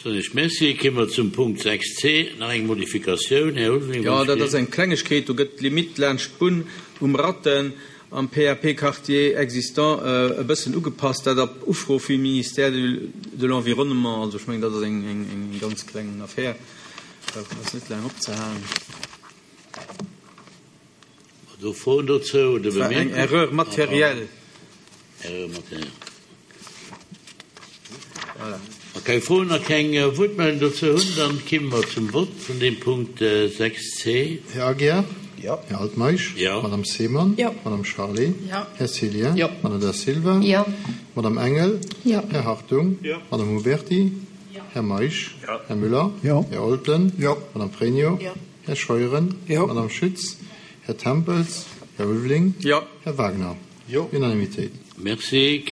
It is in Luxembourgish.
Soen ech Merci. Kéime mer zum Punkt 6c, nach eng Modifikatioun. Här Ulveling, Jo, dat ass eng Klengegkeet. Do gëtt d'Limitt laanscht d'Bunn um Ratten am PAP-Quartier existant e bëssen ugepasst, dat op Ufro vum Ministère de l'Environnement. Also ech mengen, dat ass eng ganz kleng Affär, dat ass net laang opzehalen. Do Froen dozou oder War eng Bemierkungen? Erreur matérielle. Erreur matérielle. Voilà. Wa keng Froen a keng Wuertmeldung dozou hunn, dann kimme mer zum Vott vun deem Punkt 6c. Här Aguiar? Jo. Här Altmeisch? Jo. Madame Seemann? Jo. Madame Charlé? Jo. Här Cillien? Jo. Madame Da Silva? Jo. Madame Engel? Jo. Här Hartung? Jo. Madame Huberty? Jo. Här Meisch? Jo. Här Müller? Jo. Här Olten? Jo. Madame Pregno? Jo. Här Scheuren? Jo. Madame Schütz? Här Tempels? Här Ulveling? Jo. Här Wagner? Jo. Unanimitéit. Merci.